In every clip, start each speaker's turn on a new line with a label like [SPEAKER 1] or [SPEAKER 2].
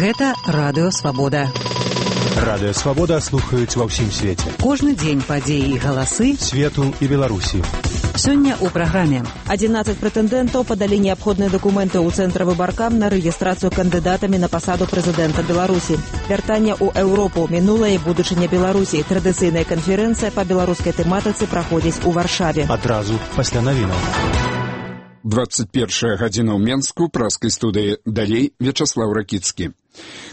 [SPEAKER 1] Гэта Радыё Свабода.
[SPEAKER 2] Радыё Свабода слухаюць ва ўсім свеце.
[SPEAKER 1] Кожны дзень падзеі і галасы
[SPEAKER 2] свету і Беларусі.
[SPEAKER 1] Сёння ў праграме 11 прэтэндэнтаў падалі неабходныя дакументы ў цэнтр выбаркам на рэгістрацыю кандыдатамі на пасаду прэзідэнта Беларусі. Вяртанне ў Еўропу, мінулае і будучыня Беларусі. Традыцыйная канферэнцыя па беларускай тэматыцы праходзіць у Варшаве.
[SPEAKER 2] Адразу пасля навінаў.
[SPEAKER 3] 21 гадзіна ў Менску, праскай студыі. Далей Вячаслаў Ракіцкі.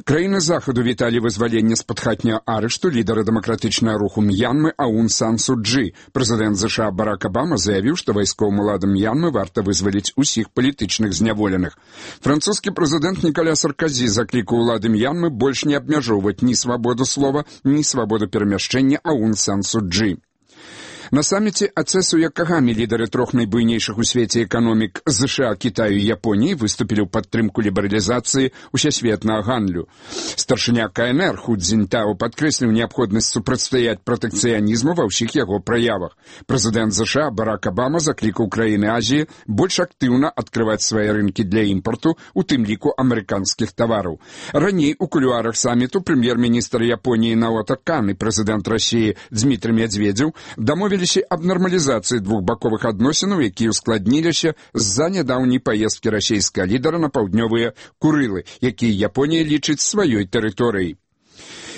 [SPEAKER 3] Краіны Захаду віталі вызваленне з-пад хатняга арышту лідара дэмакратычнага руху М'янмы Аун Сан Су Чжы. Прэзідэнт ЗША Барак Абама заявіў, што вайсковым уладам М'янмы варта вызваліць усіх палітычных зняволеных. Французскі прэзідэнт Ніколя Сарказі заклікаў улады М'янмы больш не абмяжоўваць ні свабоду слова, ні свабоду перамяшчэння Аун Сан Су Чжы. На саміце Ацесу Якагамі лідары трох найбуйнейшых у свеце эканомік ЗША, Кітаю і Японіі выступілі ў падтрымку лібералізацыі усесветнага гандлю. Старшыня КНР Ху Цзіньтао падкрэсліў неабходнасць супрацьстаяць пратэкцыянізму ва ўсіх яго праявах. Прэзідэнт ЗША Барак Абама заклікаў краіны Азіі больш актыўна адкрываць свае рынкі для імпарту, у тым ліку амерыканскіх тавараў. Раней у кулуарах саміту прэм'ер-міністр Японіі Наото Кан і прэзідэнт Расіі Дзмітрый Медведзеў дамовіліся аб нармалізацыі двухбаковых адносінаў, якія ускладніліся з-за нядаўняй паездкі расійскага лідара на паўднёвыя Курылы, якія Японія лічыць сваёй тэрыторыяй.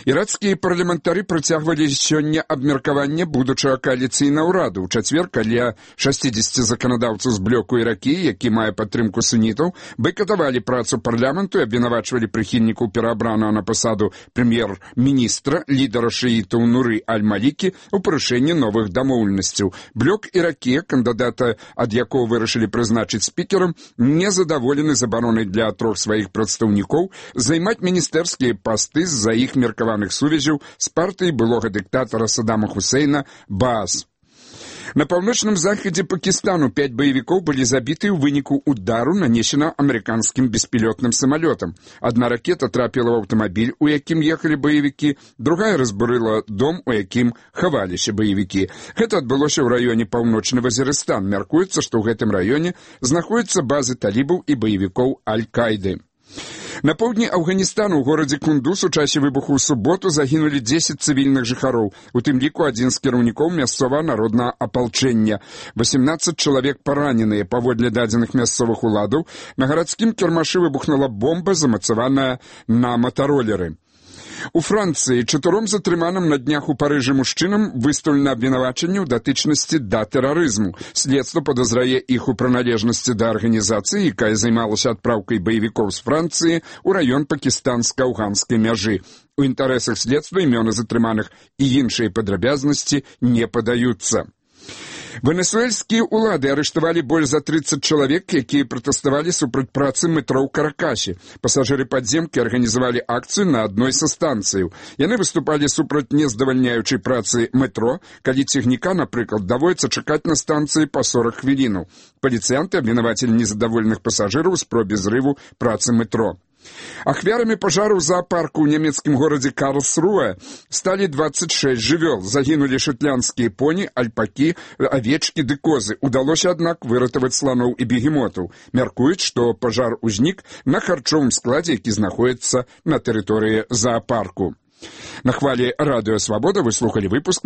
[SPEAKER 3] Іракскія парламентары працягвалі сёння абмеркаванне будучага кааліцыйнага ўраду. У чацвер каля 60 заканадаўцаў з блоку Іракіі, які мае падтрымку сунітаў, байкатавалі працу парламенту і абвінавачвалі прыхільнікаў пераабранага на пасаду прэм'ер-міністра, лідара шыітаў Нуры Аль-Малікі ў парушэнні новых дамоўленасцяў. Блок Іракія, кандыдата ад якога вырашылі прызначыць спікерам, незадаволены забаронай для трох сваіх прадстаўнікоў займаць міністэрскія пасты з-за іх меркавання сувязяў з партыяй былога дыктатара Саддама Хусейна Баас. На паўночным захадзе Пакістану 5 баевікоў былі забіты ў выніку удару, нанесена амерыканскім беспілётным самалётам. Адна ракета трапіла ў аўтамабіль, у якім ехалі баевікі, другая разбурыла дом, у якім хаваліся баевікі. Гэта адбылося ў раёне Паўночны Вазірыстан. Мяркуецца, што ў гэтым раёне знаходзяцца базы талібаў і баевікоў Аль-Кайды. На поўдні Афганістану ў горадзе Кундуз у часе выбуху ў суботу загінулі 10 цывільных жыхароў, у тым ліку адзін з кіраўнікоў мясцовага народнага апалчэння. 18 чалавек параненыя. Паводле дадзеных мясцовых уладаў, на гарадскім кірмашы выбухнула бомба, замацаваная на матаролеры. У Францыі 4 затрыманым на днях у Парыжы мужчынам выстаўлена абвінавачанне ў датычнасці да тэрарызму. Следства падазрае іх у прыналежнасці да арганізацыі, якая займалася адпраўкай баевікоў з Францыі ў раён пакістанска-афганскай мяжы. У інтарэсах следства імёны затрыманых і іншыя падрабязнасці не падаюцца. Венесуэльскія ўлады арыштавалі больш за 30 чалавек, якія пратэставалі супраць працы метро ў Каракасе. Пасажыры падземкі арганізавалі акцыю на адной са станцыяў. Яны выступалі супраць нездавальняючай працы метро, калі цягніка, напрыклад, даводзіцца чакаць на станцыі па 40 хвілінаў. Паліцыянты абвінавацілі незадаволеных пасажыраў у спробе зрыву працы метро. Ахвярамі пажару ў зоапарку ў нямецкім горадзе Карлсруэ сталі 26 жывёл. Загінулі шотландскія поні, альпакі, авечкі ды козы. Удалося, аднак, выратаваць сланоў і бегемотаў. Мяркуюць, што пажар узнік на харчовым складзе, які знаходзіцца на тэрыторыі зоапарку. На хвалі Радыё Свабода вы слухалі выпуск